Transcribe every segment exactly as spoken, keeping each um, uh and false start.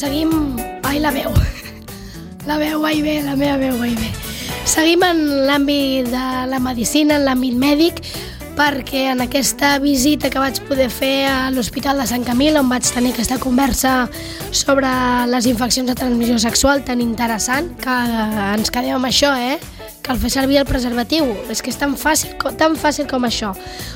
seguim... Ai, la veu. La veu va i ve, la meva veu va i ve. Seguim en l'àmbit de la medicina, en l'àmbit mèdic, perquè en aquesta visita que vaig poder fer a l'Hospital de Sant Camil, on vaig tenir aquesta conversa sobre les infeccions de transmissió sexual tan interessant, que ens quedem amb això, eh? Cal fer servir el preservatiu. És que és tan fàcil, tan fàcil com això.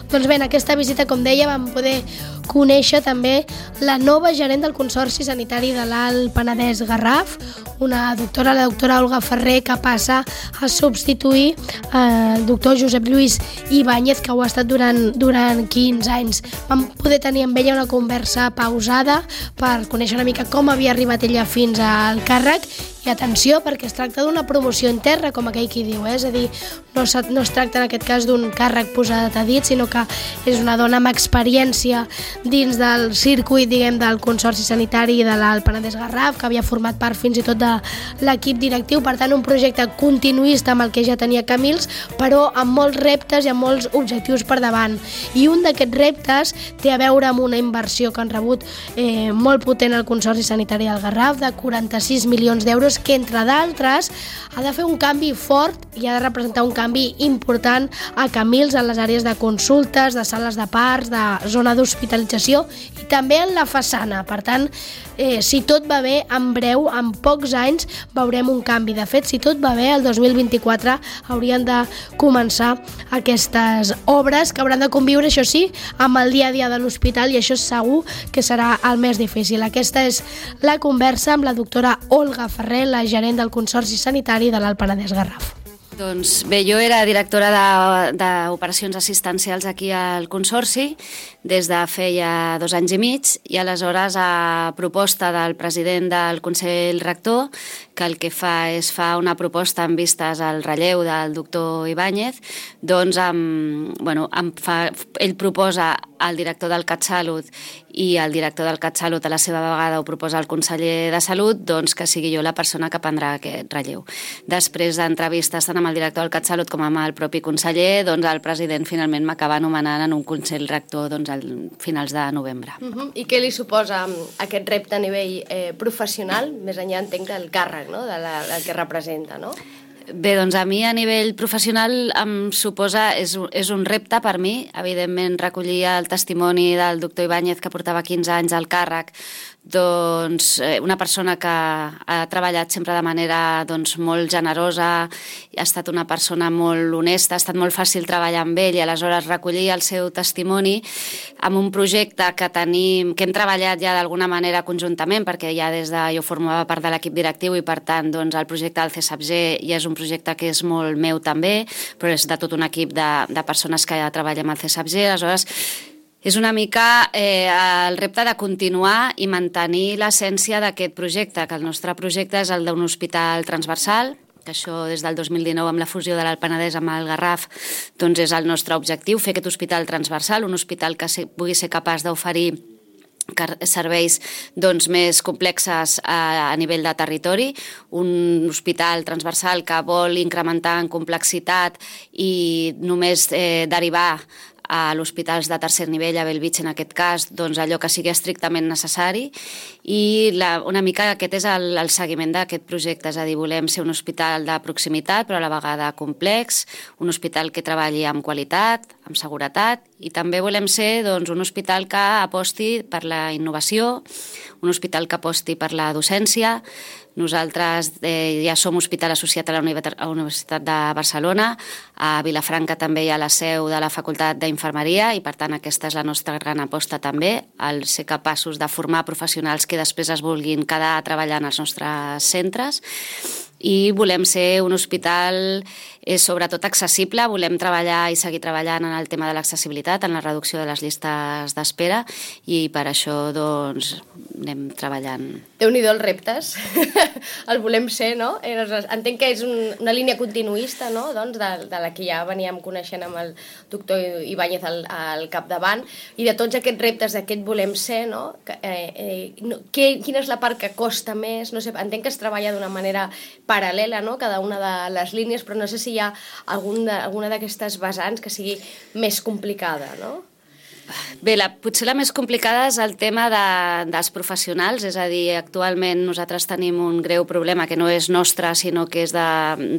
Doncs bé, en aquesta visita, com deia, vam poder conèixer també la nova gerent del Consorci Sanitari de l'Alt Penedès Garraf, una doctora, la doctora Olga Ferrer, que passa a substituir eh, el doctor Josep Lluís Ibáñez, que ho ha estat durant, durant quinze anys. Vam poder tenir amb ella una conversa pausada per conèixer una mica com havia arribat ella fins al càrrec. I atenció, perquè es tracta d'una promoció interna, com aquell qui diu, eh? És a dir, no, no es tracta en aquest cas d'un càrrec posat a dit, sinó que és una dona amb experiència dins del circuit, diguem, del Consorci Sanitari de l'Alt Penedès Garraf, que havia format part fins i tot de l'equip directiu, per tant un projecte continuista amb el que ja tenia Camils, però amb molts reptes i amb molts objectius per davant. I un d'aquests reptes té a veure amb una inversió que han rebut eh, molt potent al Consorci Sanitari del Garraf, de quaranta-sis milions d'euros, que entre d'altres ha de fer un canvi fort i ha de representar un canvi important a Camils en les àrees de consultes, de sales de parts, de zona d'hospitalització i també en la façana. Per tant, eh, si tot va bé, en breu, en pocs anys, veurem un canvi. De fet, si tot va bé, el dos mil vint-i-quatre haurien de començar aquestes obres que hauran de conviure, això sí, amb el dia a dia de l'hospital, i això segur que serà el més difícil. Aquesta és la conversa amb la doctora Olga Ferrer, la gerent del Consorci Sanitari de l'Alt Penedès Garraf. Doncs bé, jo era directora d'operacions assistencials aquí al Consorci des de feia dos anys i mig, i aleshores a proposta del president del Consell Rector, que el que fa és fa una proposta en vistes al relleu del doctor Ibáñez, doncs em, bueno, em fa, ell proposa al director del CatSalut i el director del CatSalut a la seva vegada ho proposa al conseller de Salut, doncs que sigui jo la persona que prendrà aquest relleu. Després d'entrevistes tant amb el director del CatSalut com amb el propi conseller, doncs el president finalment m'acaba anomenant en un Consell Rector doncs, a finals de novembre. Uh-huh. I què li suposa aquest repte a nivell eh, professional, més enllà entenc del càrrec, no? de la, del que representa, no? Bé, doncs a mi a nivell professional em suposa, és, és un repte per mi, evidentment recollir el testimoni del doctor Ibáñez, que portava quinze anys al càrrec, doncs una persona que ha treballat sempre de manera doncs, molt generosa, ha estat una persona molt honesta, ha estat molt fàcil treballar amb ell, i aleshores recollir el seu testimoni amb un projecte que tenim, que hem treballat ja d'alguna manera conjuntament, perquè ja des de jo formava part de l'equip directiu i per tant doncs, el projecte del C S A P G ja és un projecte que és molt meu també, però és de tot un equip de, de persones que ja treballem al C S A P G, aleshores és una mica eh, el repte de continuar i mantenir l'essència d'aquest projecte, que el nostre projecte és el d'un hospital transversal, que això des del dos mil dinou amb la fusió de l'Alt Penedès amb el Garraf doncs és el nostre objectiu, fer aquest hospital transversal, un hospital que pugui ser capaç d'oferir serveis doncs, més complexes a, a nivell de territori, un hospital transversal que vol incrementar en complexitat i només eh, derivar a l'hospitals de tercer nivell, a Bellvitge en aquest cas, doncs allò que sigui estrictament necessari, i la, una mica aquest és el, el seguiment d'aquest projecte, és a dir, volem ser un hospital de proximitat però a la vegada complex, un hospital que treballi amb qualitat, amb seguretat, i també volem ser doncs, un hospital que aposti per la innovació, un hospital que aposti per la docència. Nosaltres eh, ja som hospital associat a la Universitat de Barcelona, a Vilafranca també hi ha la seu de la Facultat d'Infermeria i per tant aquesta és la nostra gran aposta també, el ser capaços de formar professionals que després es vulguin quedar treballant als nostres centres. I volem ser un hospital eh, sobretot accessible, volem treballar i seguir treballant en el tema de l'accessibilitat, en la reducció de les llistes d'espera, i per això doncs anem treballant. Déu-n'hi-do els reptes, el volem ser, no? Entenc que és un, una línia continuista, no? doncs, de, de la que ja veníem coneixent amb el doctor Ibáñez al, al capdavant, i de tots aquests reptes d'aquest volem ser, no? Eh, eh, no que, quina és la part que costa més? No sé, entenc que es treballa d'una manera paral·lela, no? Cada una de les línies, però no sé si hi ha algun de, alguna d'aquestes vessants que sigui més complicada, no? Bé, la, potser la més complicada és el tema de, dels professionals, és a dir, actualment nosaltres tenim un greu problema que no és nostre, sinó que és de,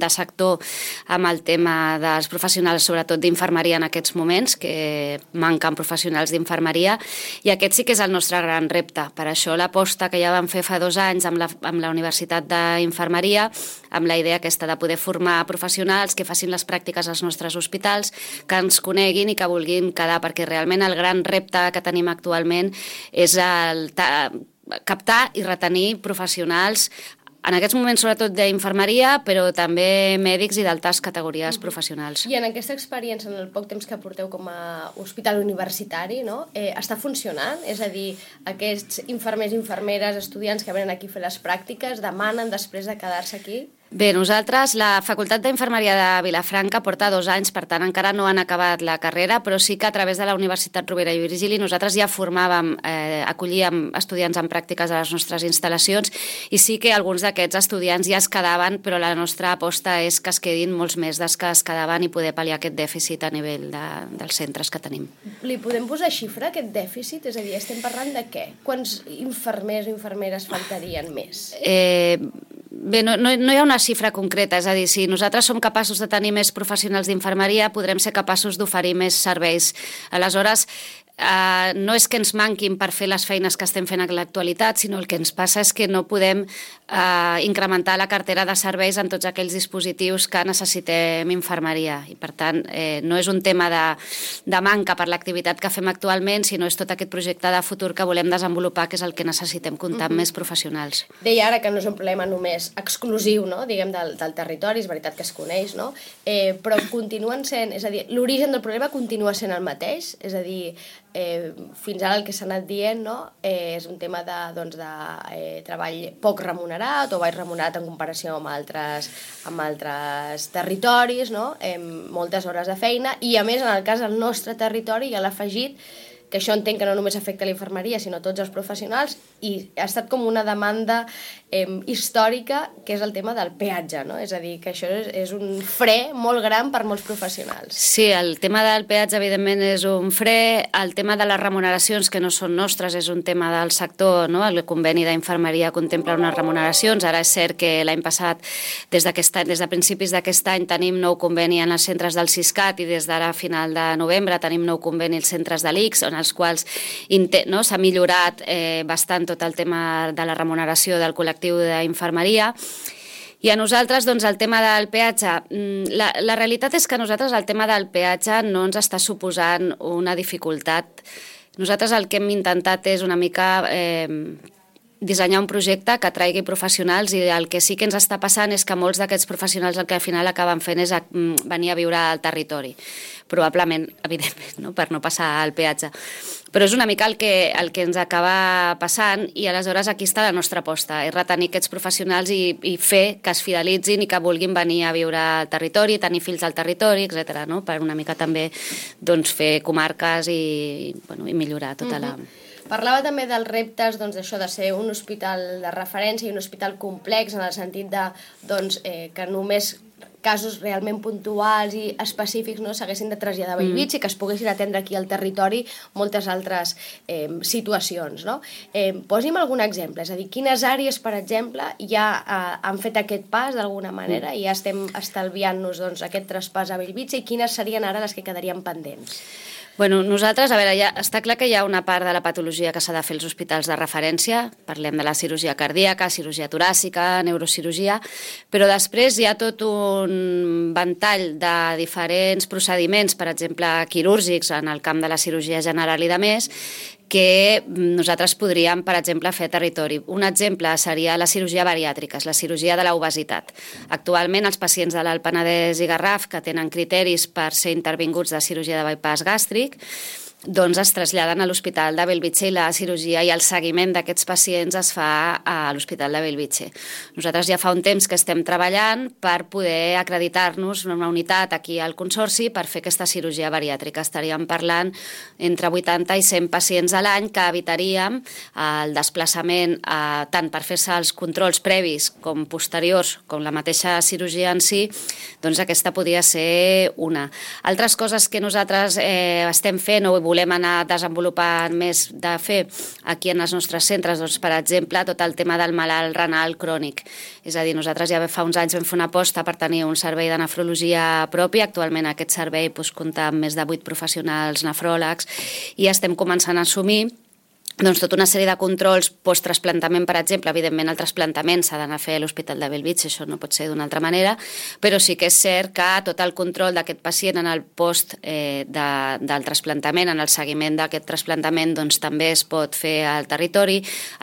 de sector amb el tema dels professionals, sobretot d'infermeria en aquests moments, que manquen professionals d'infermeria, i aquest sí que és el nostre gran repte. Per això l'aposta que ja vam fer fa dos anys amb la, amb la Universitat d'Infermeria, amb la idea aquesta de poder formar professionals que facin les pràctiques als nostres hospitals, que ens coneguin i que vulguin quedar, perquè realment el gran repte que tenim actualment és el captar i retenir professionals, en aquests moments sobretot d'infermeria, però també mèdics i d'altres categories professionals. I en aquesta experiència, en el poc temps que porteu com a hospital universitari, no? eh, està funcionant? És a dir, aquests infermers i infermeres, estudiants que venen aquí a fer les pràctiques, demanen després de quedar-se aquí? Bé, nosaltres, la Facultat d'Infermeria de Vilafranca porta dos anys, per tant encara no han acabat la carrera, però sí que a través de la Universitat Rovira i Virgili nosaltres ja formàvem, eh, acollíem estudiants en pràctiques a les nostres instal·lacions, i sí que alguns d'aquests estudiants ja es quedaven, però la nostra aposta és que es quedin molts més dels que es quedaven i poder pal·liar aquest dèficit a nivell de, dels centres que tenim. Li podem posar xifra, aquest dèficit? És a dir, estem parlant de què? Quants infermers o infermeres faltarien més? Eh... Bé, no, no, no hi ha una xifra concreta, és a dir, si nosaltres som capaços de tenir més professionals d'infermeria, podrem ser capaços d'oferir més serveis. Aleshores, Uh, no és que ens manquin per fer les feines que estem fent a l'actualitat, sinó el que ens passa és que no podem uh, incrementar la cartera de serveis en tots aquells dispositius que necessitem infermeria. I, per tant, eh, no és un tema de, de manca per l'activitat que fem actualment, sinó és tot aquest projecte de futur que volem desenvolupar, que és el que necessitem comptar amb uh-huh. més professionals. Deia ara que no és un problema només exclusiu, no? Diguem, del, del territori, és veritat que es coneix, no? eh, però continuen sent, és a dir, l'origen del problema continua sent el mateix, és a dir, Eh, fins ara el que s'ha anat dient, no? eh, és un tema de, doncs, de eh, treball poc remunerat o baix remunerat en comparació amb altres, amb altres territoris, no? eh, moltes hores de feina, i a més en el cas del nostre territori ja l'ha afegit que això entenc que no només afecta la infermeria, sinó tots els professionals, i ha estat com una demanda eh, històrica, que és el tema del peatge, no? És a dir, que això és, és un fre molt gran per molts professionals. Sí, el tema del peatge, evidentment, és un fre. El tema de les remuneracions, que no són nostres, és un tema del sector, no? El conveni d'infermeria contempla unes remuneracions. Ara és cert que l'any passat, des, des de principis d'aquest any, tenim nou conveni en els centres del Siscat, i des d'ara a final de novembre tenim nou conveni als centres de l'I C S, on els quals no, s'ha millorat eh, bastant tot el tema de la remuneració del col·lectiu d'infermeria. I a nosaltres, doncs, el tema del peatge, la, la realitat és que a nosaltres el tema del peatge no ens està suposant una dificultat. Nosaltres el que hem intentat és una mica eh, dissenyar un projecte que atraigui professionals, i el que sí que ens està passant és que molts d'aquests professionals el que al final acaben fent és venir a viure al territori. Probablement, evidentment, no? Per no passar al peatge. Però és una mica el que, el que ens acaba passant, i aleshores aquí està la nostra aposta, és retenir aquests professionals i, i fer que es fidelitzin i que vulguin venir a viure al territori, tenir fills al territori, etcètera, no? Per una mica també doncs, fer comarques i, bueno, i millorar tota la... Uh-huh. Parlava també dels reptes, doncs, d'això de ser un hospital de referència i un hospital complex, en el sentit de, doncs, eh, que només casos realment puntuals i específics no s'haguessin de traslladar a Bellvitge mm. i que es poguessin atendre aquí al territori moltes altres eh, situacions. No? Eh, posi'm algun exemple, és a dir, quines àrees, per exemple, ja eh, han fet aquest pas d'alguna manera mm. i ja estem estalviant-nos doncs, aquest traspàs a Bellvitge, i quines serien ara les que quedarien pendents? Bueno, nosaltres, a veure, ja està clar que hi ha una part de la patologia que s'ha de fer als hospitals de referència, parlem de la cirurgia cardíaca, cirurgia toràcica, neurocirurgia, però després hi ha tot un ventall de diferents procediments, per exemple, quirúrgics en el camp de la cirurgia general i de més, que nosaltres podríem, per exemple, fer territori. Un exemple seria la cirurgia bariàtrica, la cirurgia de l'obesitat. Actualment, els pacients de l'Alt Penedès i Garraf que tenen criteris per ser intervinguts de cirurgia de bypass gàstric, doncs es traslladen a l'Hospital de Bellvitge, i la cirurgia i el seguiment d'aquests pacients es fa a l'Hospital de Bellvitge. Nosaltres ja fa un temps que estem treballant per poder acreditar-nos en una unitat aquí al Consorci per fer aquesta cirurgia bariàtrica. Estaríem parlant entre vuitanta i cent pacients a l'any que evitaríem el desplaçament eh, tant per fer-se els controls previs com posteriors, com la mateixa cirurgia en si, doncs aquesta podria ser una. Altres coses que nosaltres eh, estem fent o volem anar desenvolupant més de fer aquí en els nostres centres, doncs, per exemple, tot el tema del malalt renal crònic. És a dir, nosaltres ja fa uns anys vam fer una aposta per tenir un servei de nefrologia propi. Actualment aquest servei doncs, compta amb més de vuit professionals nefròlegs i estem començant a assumir doncs tota una sèrie de controls post-trasplantament, per exemple. Evidentment el trasplantament s'ha d'anar a fer a l'Hospital de Bellvitge, això no pot ser d'una altra manera, però sí que és cert que tot el control d'aquest pacient en el post eh, de, del trasplantament, en el seguiment d'aquest trasplantament, doncs també es pot fer al territori,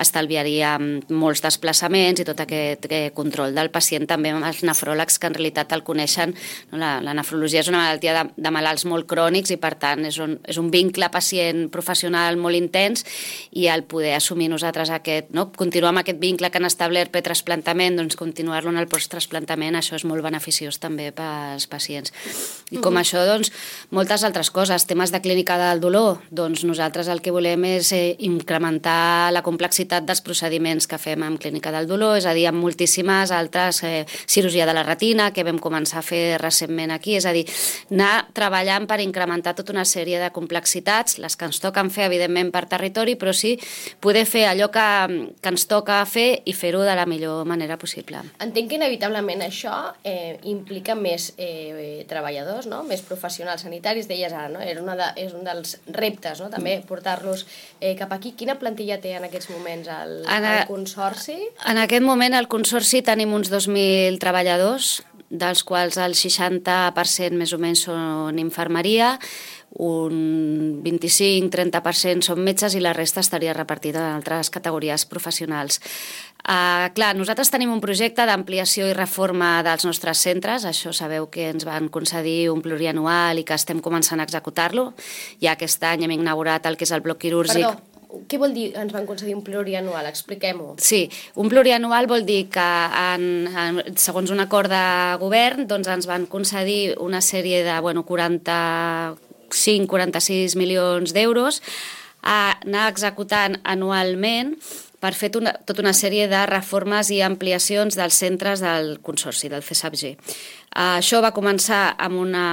estalviaria molts desplaçaments i tot aquest eh, control del pacient, també amb els nefròlegs que en realitat el coneixen. No? La, la nefrologia és una malaltia de, de malalts molt crònics i per tant és un, és un vincle pacient-professional molt intens, i al poder assumir nosaltres aquest, no? continuar amb aquest vincle que han establert pre-trasplantament, doncs continuar-lo en el post-trasplantament, això és molt beneficiós també pels pacients. I com uh-huh. això, doncs, moltes altres coses, temes de clínica del dolor, doncs nosaltres el que volem és eh, incrementar la complexitat dels procediments que fem en clínica del dolor, és a dir, amb moltíssimes altres, eh, cirurgia de la retina, que vam començar a fer recentment aquí, és a dir, anar treballant per incrementar tota una sèrie de complexitats, les que ens toquen fer, evidentment, per territori, però sí poder fer allò que, que ens toca fer i fer-ho de la millor manera possible. Entenc que inevitablement això eh, implica més eh, treballadors, no? Més professionals sanitaris, deies ara, no? Era una de, és un dels reptes, no? També portar-los eh, cap aquí. Quina plantilla té en aquests moments el, en a, el Consorci? En aquest moment al Consorci tenim uns dos mil treballadors, dels quals el seixanta per cent més o menys són infermeria, un vint-i-cinc a trenta per cent són metges i la resta estaria repartida en altres categories professionals. Uh, clar, nosaltres tenim un projecte d'ampliació i reforma dels nostres centres, això sabeu que ens van concedir un plurianual i que estem començant a executar-lo. Ja aquest any hem inaugurat el que és el bloc quirúrgic. Perdó, què vol dir ens van concedir un plurianual? Expliquem-ho. Sí, un plurianual vol dir que en, en, segons un acord de govern doncs ens van concedir una sèrie de bueno, quaranta-cinc a quaranta-sis milions d'euros a anar executant anualment per fer una, tota una sèrie de reformes i ampliacions dels centres del Consorci, del C S A P G. Uh, això va començar amb una...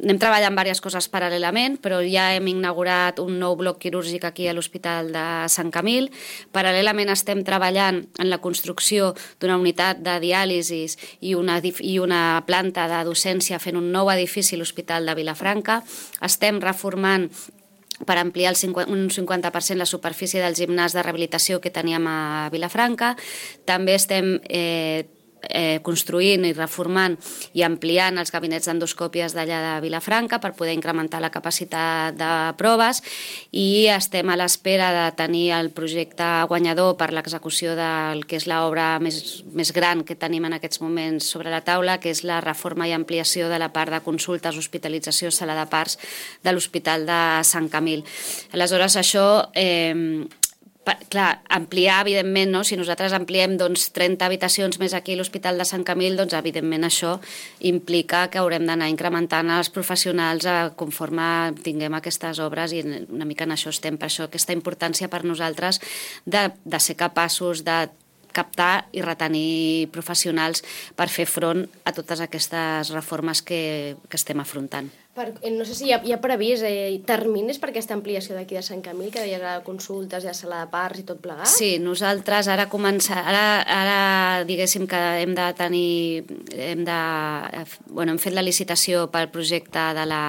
Anem treballant diverses coses paral·lelament, però ja hem inaugurat un nou bloc quirúrgic aquí a l'Hospital de Sant Camil. Paral·lelament estem treballant en la construcció d'una unitat de diàlisis i una, i una planta de docència fent un nou edifici a l'Hospital de Vilafranca. Estem reformant per ampliar el cinquanta, un cinquanta per cent la superfície del gimnàs de rehabilitació que teníem a Vilafranca. També estem eh, eh, construint i reformant i ampliant els gabinets d'endoscòpies d'allà de Vilafranca per poder incrementar la capacitat de proves i estem a l'espera de tenir el projecte guanyador per l'execució del que és l'obra més, més gran que tenim en aquests moments sobre la taula, que és la reforma i ampliació de la part de consultes, hospitalització, sala de parts de l'Hospital de Sant Camil. Aleshores, això... Eh, clar, ampliar, evidentment, no? Si nosaltres ampliem doncs, trenta habitacions més aquí a l'Hospital de Sant Camil, doncs evidentment això implica que haurem d'anar incrementant els professionals conforme tinguem aquestes obres i una mica en això estem. Per això aquesta importància per nosaltres de, de ser capaços de captar i retenir professionals per fer front a totes aquestes reformes que, que estem afrontant. Per, no sé si hi ha, hi ha previst eh, terminis per aquesta ampliació d'aquí de Sant Camil, que deies ara consultes, ja sala de parts i tot plegat? Sí, nosaltres ara començar, ara, ara diguéssim que hem de tenir, hem de, bueno, hem fet la licitació pel projecte de la,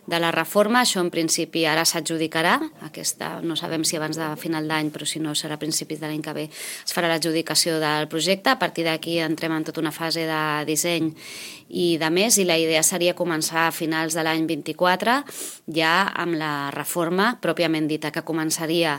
de la reforma, això en principi ara s'adjudicarà, aquesta no sabem si abans de final d'any, però si no serà a principis de l'any que ve, es farà l'adjudicació del projecte, a partir d'aquí entrem en tota una fase de disseny i de més, i la idea seria començar a finals de l'any vint-i-quatre ja amb la reforma pròpiament dita, que començaria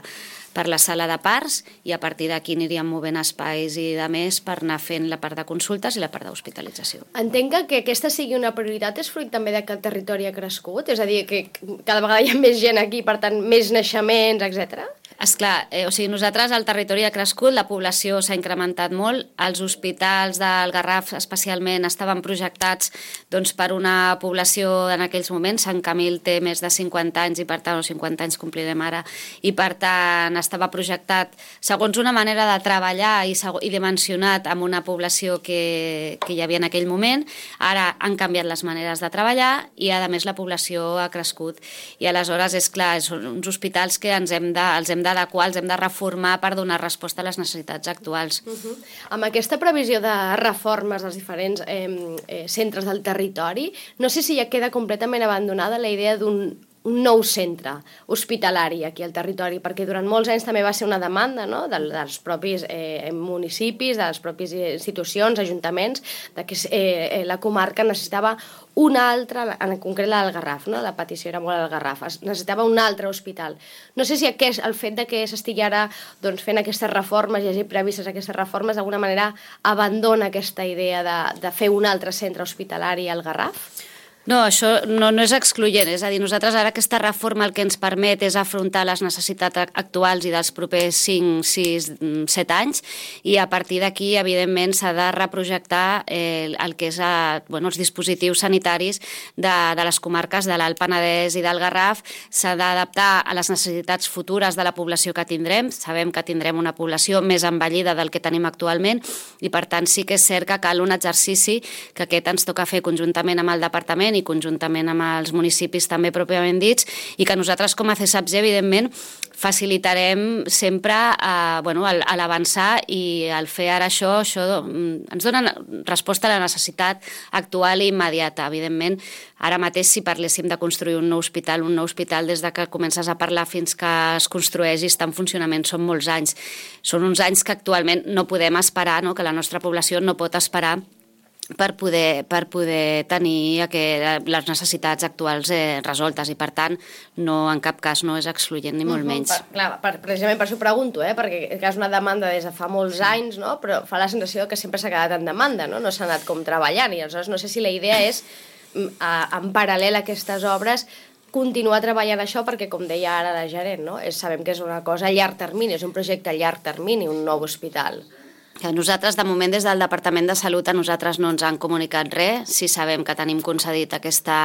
per la sala de parts i a partir d'aquí aniríem movent espais i de més per anar fent la part de consultes i la part d'hospitalització. Entenc que aquesta sigui una prioritat, és fruit també de que el territori ha crescut? És a dir, que cada vegada hi ha més gent aquí, per tant, més naixements, etcètera? Esclar, eh, o sigui, nosaltres el territori ha crescut, la població s'ha incrementat molt, els hospitals del Garraf especialment estaven projectats doncs, per una població en aquells moments, Sant Camil té més de cinquanta anys i per tant, o cinquanta anys complirem ara, i per tant estava projectat segons una manera de treballar i, i dimensionat amb una població que, que hi havia en aquell moment. Ara han canviat les maneres de treballar i a més la població ha crescut i aleshores és clar, són uns hospitals que ens hem de, els hem d'adequar, els hem de reformar per donar resposta a les necessitats actuals. Uh-huh. Amb aquesta previsió de reformes dels diferents eh, eh, centres del territori, no sé si ja queda completament abandonada la idea d'un un nou centre hospitalari aquí al territori, perquè durant molts anys també va ser una demanda, no?, dels propis eh, municipis, de les pròpies institucions, ajuntaments, de que eh, la comarca necessitava una altra, en concret la del Garraf, no? La petició era molt al Garraf, es necessitava un altre hospital. No sé si aquest, el fet de que s'estigui ara doncs, fent aquestes reformes i hagi previstes aquestes reformes d'alguna manera abandona aquesta idea de, de fer un altre centre hospitalari al Garraf? No, això no, no és excloent, és a dir, nosaltres ara aquesta reforma el que ens permet és afrontar les necessitats actuals i dels propers cinc, sis, set anys i a partir d'aquí, evidentment, s'ha de reprojectar eh, el que és a, bueno, els dispositius sanitaris de, de les comarques de l'Alt Penedès i del Garraf, s'ha d'adaptar a les necessitats futures de la població que tindrem, sabem que tindrem una població més envellida del que tenim actualment i per tant sí que és cert que cal un exercici que aquest ens toca fer conjuntament amb el departament i conjuntament amb els municipis també pròpiament dits i que nosaltres com a C S A P G evidentment facilitarem sempre a, bueno, a l'avançar i al fer ara això, això ens dona resposta a la necessitat actual i immediata. Evidentment, ara mateix si parléssim de construir un nou hospital, un nou hospital des de que comences a parlar fins que es construeix i està en funcionament són molts anys. Són uns anys que actualment no podem esperar, no? Que la nostra població no pot esperar per poder, per poder tenir aquest, les necessitats actuals eh, resoltes i per tant no, en cap cas no és excloent ni molt menys. Per, clar, per, precisament per això pregunto, eh? Perquè és una demanda des de fa molts anys, no? Però fa la sensació que sempre s'ha quedat en demanda, no? No s'ha anat com treballant i aleshores no sé si la idea és a, en paral·lel a aquestes obres continuar treballant això perquè, com deia ara la gerent, no? És, sabem que és una cosa a llarg termini, és un projecte a llarg termini, un nou hospital. Nosaltres, de moment, des del Departament de Salut, a nosaltres no ens han comunicat res. Sí sabem que tenim concedit aquesta,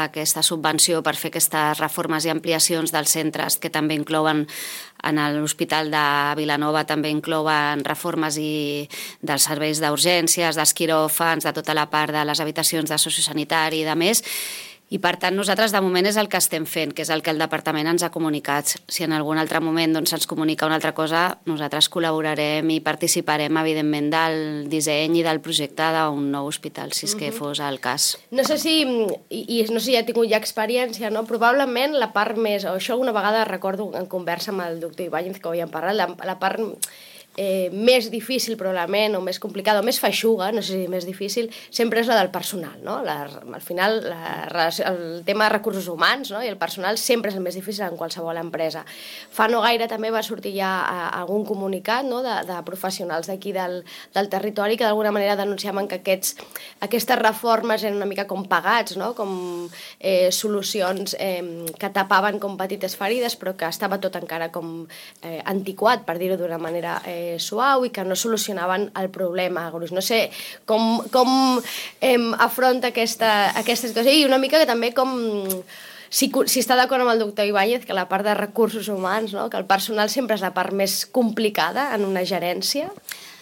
aquesta subvenció per fer aquestes reformes i ampliacions dels centres que també inclouen en l'Hospital de Vilanova, també inclouen reformes i dels serveis d'urgències, dels quiròfans, de tota la part de les habitacions de sociosanitari i de més. I per tant nosaltres de moment és el que estem fent, que és el que el departament ens ha comunicat. Si en algun altre moment doncs, ens comunica una altra cosa, nosaltres col·laborarem i participarem evidentment del disseny i del projecte d'un nou hospital, si és que fos el cas. No sé si, i, i no sé si ja he tingut ja experiència, no? Probablement la part més, o això una vegada recordo en conversa amb el doctor Ibáñez que ho havíem parlat, la, la part Eh, més difícil probablement, o més complicada, o més feixuga, no sé si més difícil, sempre és la del personal, no? La, al final, la, el tema de recursos humans, no? I el personal sempre és el més difícil en qualsevol empresa. Fa no gaire també va sortir ja algun comunicat, no? de, de professionals d'aquí del, del territori que d'alguna manera denunciaven que aquests, aquestes reformes eren una mica com pagats, no? Com eh, solucions eh, que tapaven com petites ferides, però que estava tot encara com eh, antiquat, per dir-ho d'una manera eh, suau i que no solucionaven el problema. No sé com, com eh, afronta aquesta, aquesta situació i una mica que també com si, si està d'acord amb el doctor Ibáñez que la part de recursos humans, no? Que el personal sempre és la part més complicada en una gerència.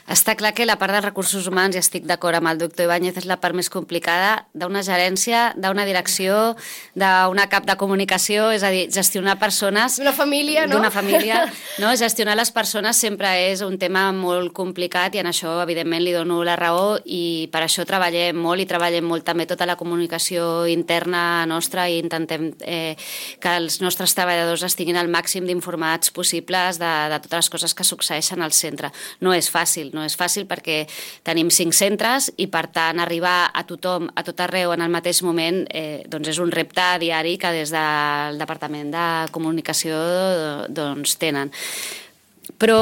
Està clar que la part dels recursos humans, i estic d'acord amb el doctor Ibáñez, és la part més complicada d'una gerència, d'una direcció, d'una cap de comunicació, és a dir, gestionar persones... D'una família, no? D'una família, no? Gestionar les persones sempre és un tema molt complicat i en això, evidentment, li dono la raó i per això treballem molt i treballem molt també tota la comunicació interna nostra i intentem eh, que els nostres treballadors estiguin al màxim d'informats possibles de, de totes les coses que succeeixen al centre. No és fàcil, no és fàcil perquè tenim cinc centres i per tant arribar a tothom, a tot arreu en el mateix moment eh, doncs és un repte diari que des del Departament de Comunicació doncs tenen. Però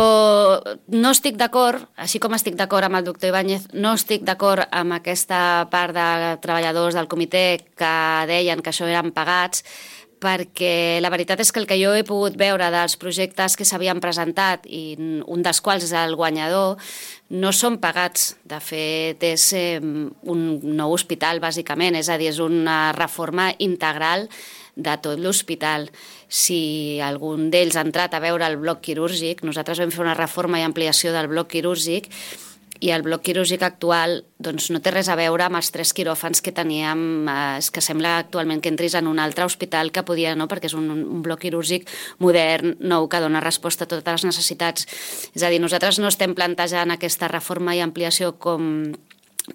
no estic d'acord, així com estic d'acord amb el doctor Ibáñez, no estic d'acord amb aquesta part de treballadors del comitè que deien que això eren pagats, perquè la veritat és que el que jo he pogut veure dels projectes que s'havien presentat, i un dels quals és el guanyador, no són pagats. De fet, és eh, un nou hospital, bàsicament, és a dir, és una reforma integral de tot l'hospital. Si algun d'ells ha entrat a veure el bloc quirúrgic, nosaltres vam fer una reforma i ampliació del bloc quirúrgic, i el bloc quirúrgic actual doncs, no té res a veure amb els tres quiròfans que teníem, eh, que sembla actualment que entris en un altre hospital que podia, no?, perquè és un, un bloc quirúrgic modern, nou, que dona resposta a totes les necessitats. És a dir, nosaltres no estem plantejant aquesta reforma i ampliació com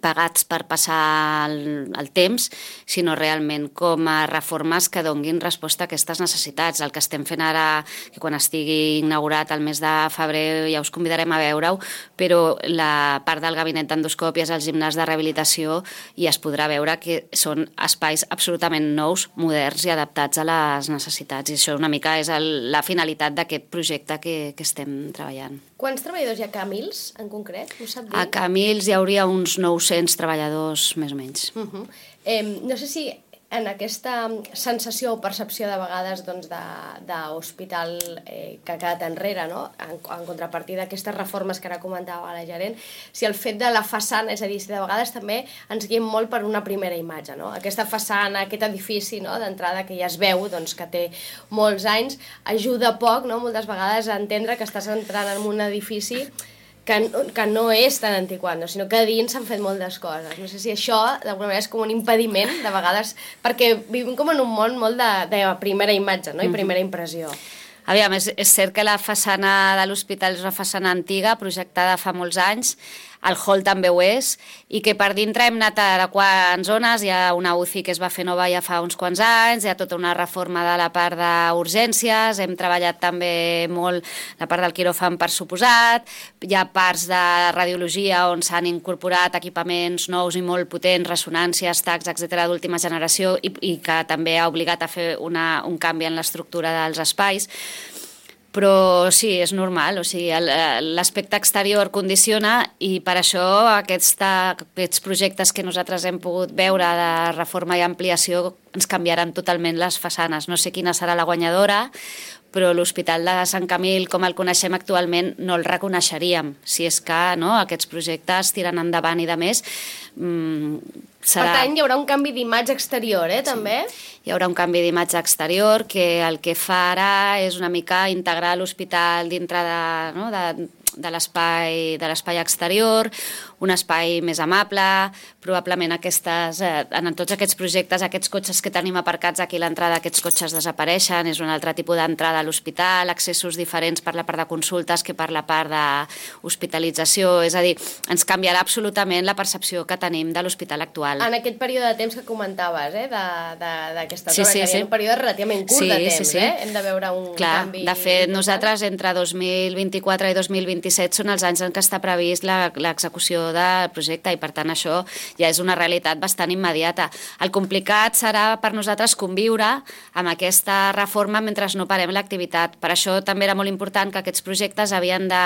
pagats per passar el, el temps, sinó realment com a reformes que donguin resposta a aquestes necessitats. El que estem fent ara, que quan estigui inaugurat el mes de febrer ja us convidarem a veure-ho, però la part del gabinet d'endoscòpies, el gimnàs de rehabilitació, i es podrà veure que són espais absolutament nous, moderns i adaptats a les necessitats. I això una mica és el, la finalitat d'aquest projecte que, que estem treballant. Quants treballadors hi ha a Camils, en concret? Ho sap dir? A Camils hi hauria uns nou-cents treballadors, més o menys. Uh -huh. eh, no sé si en aquesta sensació o percepció de vegades doncs, d'hospital eh, que ha quedat enrere, no? en, en contrapartida d'aquestes reformes que ara comentava la gerent, si el fet de la façana, és a dir, si de vegades també ens guiem molt per una primera imatge, no? Aquesta façana, aquest edifici, no?, d'entrada que ja es veu doncs, que té molts anys, ajuda poc, no?, moltes vegades a entendre que estàs entrant en un edifici que, que no és tan antiquat, no? Sinó que a dins s'han fet moltes coses. No sé si això, d'alguna manera, és com un impediment, de vegades, perquè vivim com en un món molt de, de primera imatge, no?, i primera impressió. Aviam, és, és cert que la façana de l'hospital és una façana antiga, projectada fa molts anys, el hall també ho és, i que per dintre hem anat adequant zones. Hi ha una U C I que es va fer nova ja fa uns quants anys, hi ha tota una reforma de la part d'urgències, hem treballat també molt la part del quiròfan, per suposat, hi ha parts de radiologia on s'han incorporat equipaments nous i molt potents, ressonàncies, tacs, etcètera, d'última generació, i, i que també ha obligat a fer una, un canvi en l'estructura dels espais. Però sí, és normal, o sigui, l'aspecte exterior condiciona, i per això aquesta, aquests projectes que nosaltres hem pogut veure de reforma i ampliació ens canviaran totalment les façanes. No sé quina serà la guanyadora, però l'Hospital de Sant Camil, com el coneixem actualment, no el reconeixeríem. Si és que no, aquests projectes tiren endavant i de més, mmm, serà... Per tant, hi haurà un canvi d'imatge exterior, eh, també? Sí. Hi haurà un canvi d'imatge exterior que el que farà és una mica integrar l'hospital dintre de, no, de, de l'espai de l'espai exterior, un espai més amable, probablement aquestes, eh, en tots aquests projectes, aquests cotxes que tenim aparcats aquí a l'entrada, aquests cotxes desapareixen, és un altre tipus d'entrada a l'hospital, accessos diferents per la part de consultes que per la part d'hospitalització, és a dir, ens canviarà absolutament la percepció que tenim de l'hospital actual. En aquest període de temps que comentaves, eh, d'aquesta sí, zona, sí, que sí. hi ha un període relativament curt sí, de temps, sí, sí. eh? Hem de veure un Clar, canvi... De fet, nosaltres entre dos mil vint-i-quatre i dos mil vint-i-set són els anys en què està previst l'execució del projecte, i per tant això ja és una realitat bastant immediata. El complicat serà per nosaltres conviure amb aquesta reforma mentre no parem l'activitat. Per això també era molt important que aquests projectes havien de...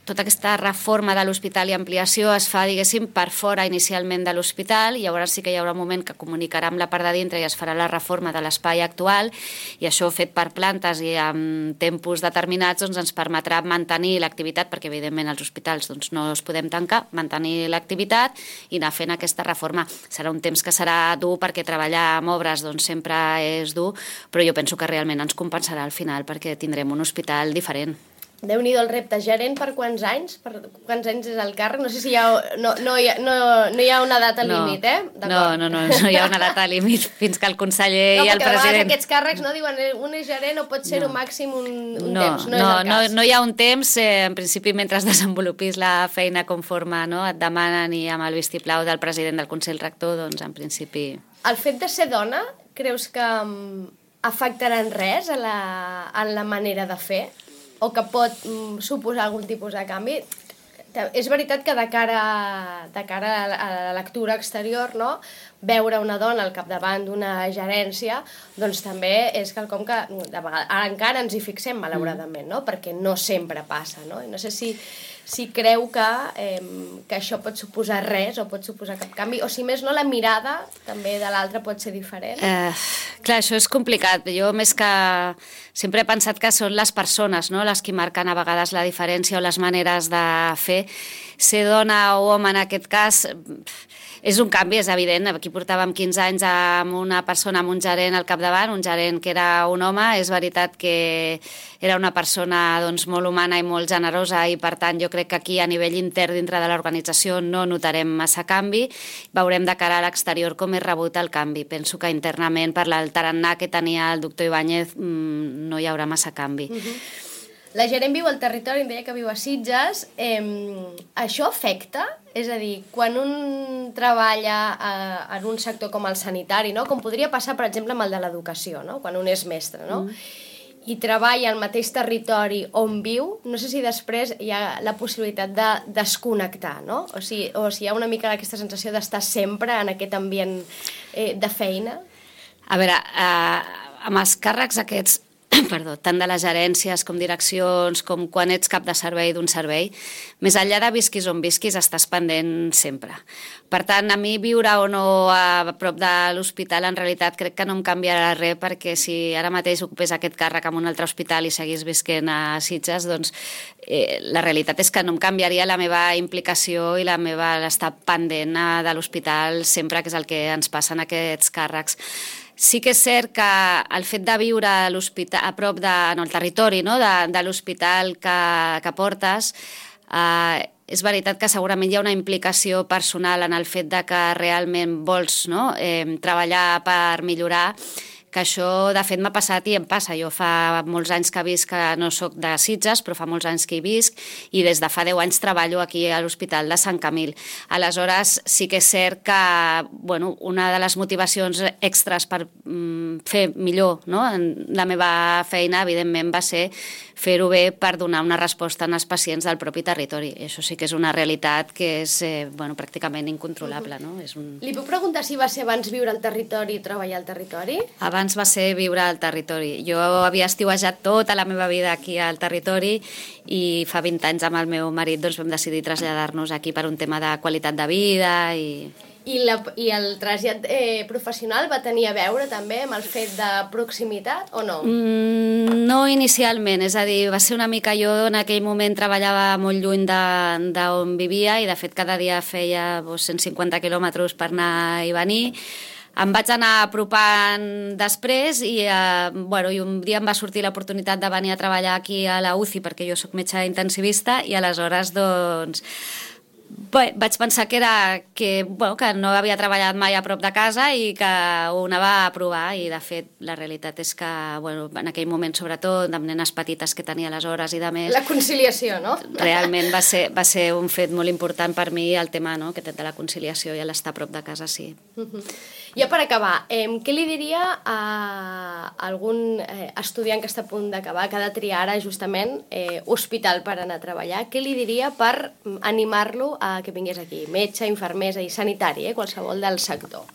Tota aquesta reforma de l'hospital i ampliació es fa, diguéssim, per fora inicialment de l'hospital, i llavors sí que hi haurà un moment que comunicarà amb la part de dintre i es farà la reforma de l'espai actual, i això fet per plantes i amb tempos determinats doncs ens permetrà mantenir l'activitat, perquè evidentment els hospitals doncs, no els podem tancar, mantenir l'activitat i anar fent aquesta reforma. Serà un temps que serà dur, perquè treballar amb obres doncs, sempre és dur, però jo penso que realment ens compensarà al final, perquè tindrem un hospital diferent. Déu-n'hi-do el repte. Gerent, per quants anys? Per quants anys és el càrrec? No sé si hi ha... No, no, hi, ha, no, no hi ha una data no, límit, eh? No, no, no, no hi ha una data límit fins que el conseller no, i el president... No, perquè aquests càrrecs no diuen un és gerent o pot ser no. un màxim un, un no, temps. No, no, és el cas. No, no hi ha un temps. Eh, en principi, mentre desenvolupis la feina conforme no, et demanen i amb el vistiplau del president del Consell Rector, doncs en principi... El fet de ser dona, creus que um, afectarà en res a la, en la manera de fer? O que pot mm, suposar algun tipus de canvi? És veritat que de cara, de cara a la lectura exterior, no? Veure una dona al capdavant d'una gerència, doncs també és quelcom que de vegades, ara encara ens hi fixem, malauradament, no? Perquè no sempre passa, no? I no sé si, si creu que, eh, que això pot suposar res o pot suposar cap canvi, o si més no, la mirada també de l'altre pot ser diferent. Eh, clar, això és complicat. Jo més que... Sempre he pensat que són les persones, no?, les que marquen a vegades la diferència o les maneres de fer. Ser dona o home en aquest cas... És un canvi, és evident. Aquí portàvem quinze anys amb una persona, amb un gerent al capdavant, un gerent que era un home. És veritat que era una persona doncs, molt humana i molt generosa i, per tant, jo crec que aquí a nivell intern dintre de l'organització no notarem massa canvi. Veurem de cara a l'exterior com és rebut el canvi. Penso que internament, per el tarannà que tenia el doctor Ibáñez, no hi haurà massa canvi. Uh-huh. La gerent viu al territori, em deia que viu a Sitges. Eh, això afecta? És a dir, quan un treballa eh, en un sector com el sanitari, no? Com podria passar, per exemple, amb el de l'educació, no? Quan un és mestre, no? Mm. I treballa al mateix territori on viu, no sé si després hi ha la possibilitat de desconnectar, no? O si, o si hi ha una mica aquesta sensació d'estar sempre en aquest ambient eh, de feina. A veure, eh, amb els càrrecs aquests, perdó, tant de les gerències com direccions, com quan ets cap de servei d'un servei, més enllà de visquis on visquis, estàs pendent sempre. Per tant, a mi viure o no a prop de l'hospital, en realitat crec que no em canviarà res, perquè si ara mateix ocupés aquest càrrec en un altre hospital i seguís visquent a Sitges, doncs eh, la realitat és que no em canviaria la meva implicació i la meva estar pendent de l'hospital sempre, que és el que ens passa en aquests càrrecs. Sí que és cert que el fet de viure a, a prop de, en el territori, no?, de, de l'hospital que, que portes, eh, és veritat que segurament hi ha una implicació personal en el fet de que realment vols, no?, eh, treballar per millorar, que això de fet m'ha passat i em passa. Jo fa molts anys que visc, que no sóc de Sitges, però fa molts anys que hi visc, i des de fa deu anys treballo aquí a l'Hospital de Sant Camil. Aleshores, sí que és cert que bueno, una de les motivacions extres per mm, fer millor, no?, la meva feina, evidentment, va ser fer-ho bé per donar una resposta als pacients del propi territori. I això sí que és una realitat que és eh, bueno, pràcticament incontrolable. No? És un... Li puc preguntar si va ser abans viure al territori i treballar al territori? Abans va ser viure al territori. Jo havia estiuejat tota la meva vida aquí al territori i fa vint anys amb el meu marit doncs, vam decidir traslladar-nos aquí per un tema de qualitat de vida i... I, la, I el trasllat eh, professional va tenir a veure també amb el fet de proximitat o no? Mm, no inicialment, és a dir, va ser una mica jo en aquell moment treballava molt lluny d'on vivia i de fet cada dia feia doncs, cent cinquanta quilòmetres per anar i venir. Em vaig anar apropant després i, eh, bueno, i un dia em va sortir l'oportunitat de venir a treballar aquí a la U C I perquè jo sóc metge intensivista i aleshores doncs Bé, vaig pensar que era que, bueno, que no havia treballat mai a prop de casa i que ho anava a provar i de fet la realitat és que bueno, en aquell moment sobretot amb nenes petites que tenia aleshores i de més... La conciliació, no? Realment va ser, va ser un fet molt important per mi el tema no? que té de la conciliació i l'estar a prop de casa, sí. Uh-huh. Ja per acabar, eh, què li diria a algun eh, estudiant que està a punt d'acabar, que ha de triar ara justament eh, hospital per anar a treballar, què li diria per animar-lo a que vingués aquí? Metge, infermera i sanitari, eh, qualsevol del sector.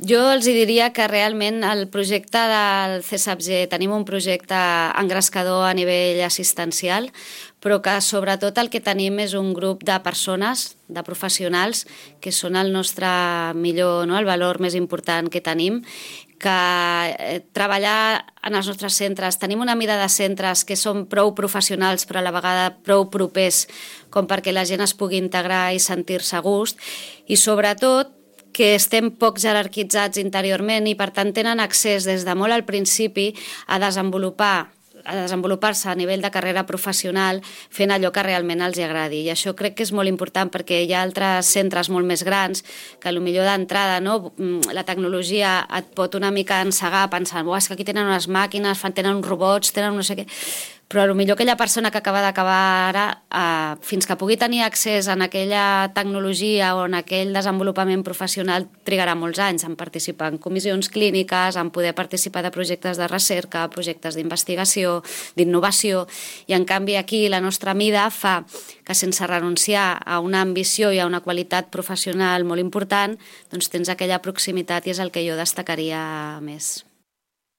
Jo els diria que realment el projecte del C S A P G, tenim un projecte engrescador a nivell assistencial, però que sobretot el que tenim és un grup de persones, de professionals, que són el nostre millor, no? el valor més important que tenim, que eh, treballar en els nostres centres, tenim una mida de centres que són prou professionals però a la vegada prou propers com perquè la gent es pugui integrar i sentir-se a gust i sobretot que estem poc jerarquitzats interiorment i per tant tenen accés des de molt al principi a desenvolupar a desenvolupar-se a nivell de carrera professional fent allò que realment els agradi. I això crec que és molt important perquè hi ha altres centres molt més grans que potser d'entrada no? la tecnologia et pot una mica encegar pensant oh, és que aquí tenen unes màquines, tenen uns robots, tenen no sé què... Però potser aquella persona que acaba d'acabar ara, eh, fins que pugui tenir accés a aquella tecnologia o en aquell desenvolupament professional, trigarà molts anys en participar en comissions clíniques, en poder participar de projectes de recerca, projectes d'investigació, d'innovació, i en canvi aquí la nostra mida fa que sense renunciar a una ambició i a una qualitat professional molt important, doncs tens aquella proximitat i és el que jo destacaria més.